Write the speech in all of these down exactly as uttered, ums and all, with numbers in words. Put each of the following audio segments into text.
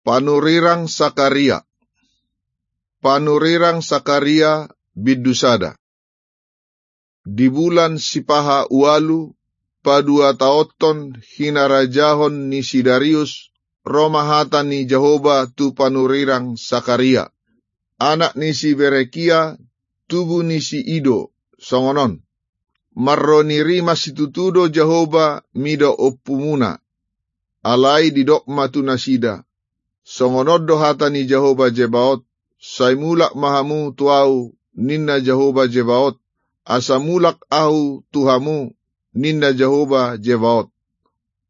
Panurirang Sakaria. Panurirang Sakaria bindu sada. Di bulan sipaha ualu, paduataonhon hinarajahon ni si Darius, ro ma hata ni Jahowa tu panurirang Sakaria, anak ni si Berekia, tubu ni si Ido, songon on: Marro ni rimas situtu do Jahowa mida ompumuna. Alai didok ma tu nasida: Songon on do hata ni Jahowa Zebaot: Sai mulak ma hamu tu ahu, ninna Jahowa Zebaot, asa mulak ahu tu hamu, ninna Jahowa Zebaot.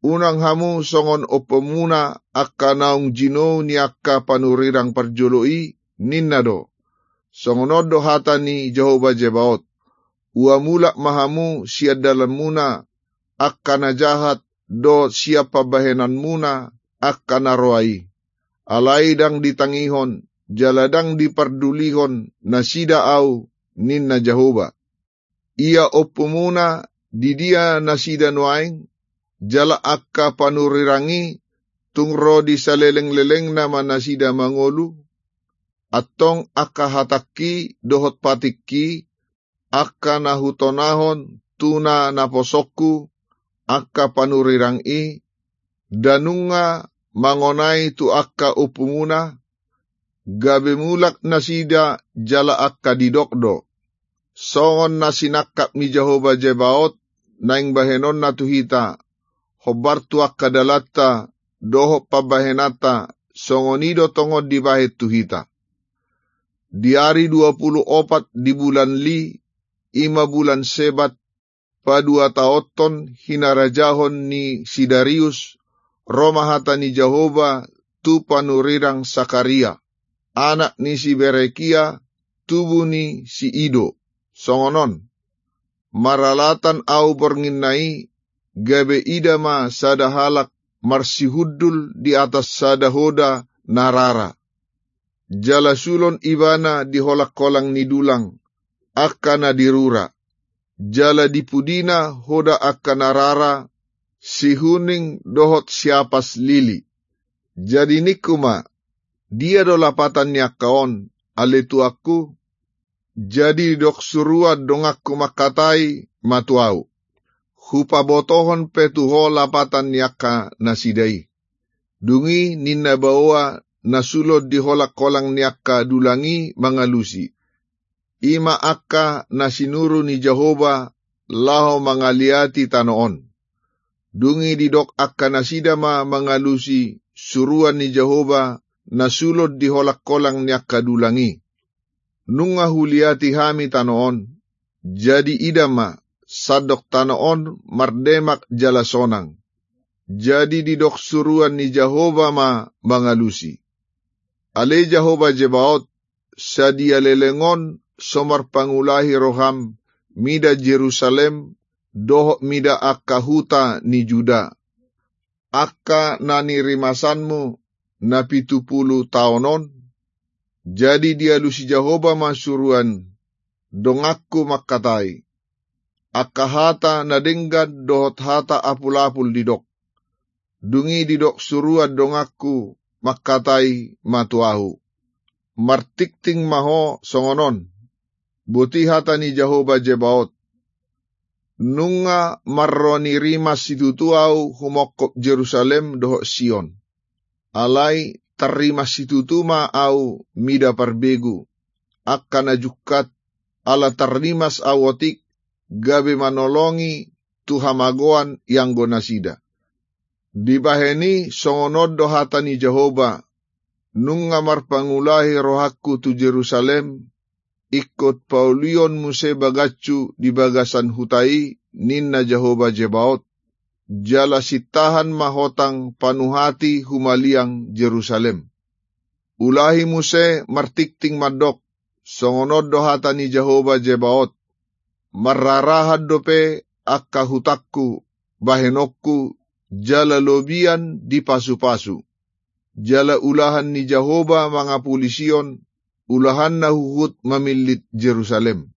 Unang hamu songon ompumuna angka naung jinou ni angka panurirang parjolo i, ninna do: Songon on do hata ni Jahowa Zebaot: Ua mulak ma hamu sian dalanmuna, angka na jahat, dohot sian pambahenanmuna, angka na roa i. Alai ndang ditangihon, jala ndang dipardulihon nasida ahu, ninna Jahowa. Ia ompumuna, di dia nasida nuaeng? Jala angka panurirang i, tung ro di salelenglelengna ma nasida mangolu? Antong angka hatangki dohot patikki, angka na hutonahon tu na naposongku, angka panurirang i, nda nunga mangonai tu angka ompumuna? Gabe mulak nasida, jala angka didok do: Songon na sinangkap ni Jahowa Zebaot naeng bahenonna tu hita, hombar tu angka dalanta dohot pambahenanta, songon i do tongon dibahen tu hita. Di ari dua pulu opat di bulan Li, i ma bulan Sebat, paduataonhon hinarajahon ni si Darius, ro ma hata ni Jahowa tu panurirang Sakaria, anak ni si Berekia, tubu ni si Ido, songon on: Maralatan ahu bornginna i, gabe ida ma sada halak marsihundul di atas sada hoda na rara. Jala sulon ibana di holangkolang ni dulang, angka na di rura. Jala di pudina hoda angka na rara, sihuning dohot siapas lili. Jadi ningku ma: Dia do lapatan ni angka on, ale tuanku? Jadi didok suruan donganku mangkatai ma tu ahu: Hupabotohon pe tu ho lapatan ni angka nasida i. Dung i ninna baoa na sulon di holangkolang ni angka dulang i mangalusi, i ma angka na sinuru ni Jahowa laho mangaliati tano on. Dung i didok angka nasida ma mangalusi suruan ni Jahowa na sulon di holangkolang ni angka dulang i: Nunga huliati hami tano on. Jadi ida ma, sandok tano on mardemak jala sonang. Jadi didok suruan ni Jahowa ma mangalusi: Ale Jahowa Zebaot, sadia leleng on so marpangulahi roham mida Jerusalem dohot mida angka huta ni Juda, angka na nirimasanmu na pitu pulu taon on? Jadi dialusi Jahowa ma suruan donganku mangkatai, angka hata na denggan dohot hata apulapul didok. Dung i didok suruan donganku mangkatai ma tu ahu: Martingting ma ho songon on: Boti hata ni Jahowa Zebaot: Nunga marro ni rimas situtu ahu humongkop Jerusalem dohot Sion. Alai tarrimas situtu ma ahu mida parbegu, angka na jungkat, ala tarrimas ahu otik, gabe manolongi tu hamagoan ianggo nasida. Dibahen i songon on do hata ni Jahowa: Nunga marpangulahi rohangku tu Jerusalem, ingkon paulion muse bagashu di bagasan huta i, ninna Jahowa Zebaot, jala sintahan ma hotang panuhati humaliang Jerusalem. Ulahi muse martingting mandok: Songon on do hata ni Jahowa Zebaot: Marrarahan dope angka hutangku, bahenonku, jala lobian dipasupasu. Jala ulahan ni Jahowa mangapuli Sion, ulahanna huhut mamillit Jerusalem.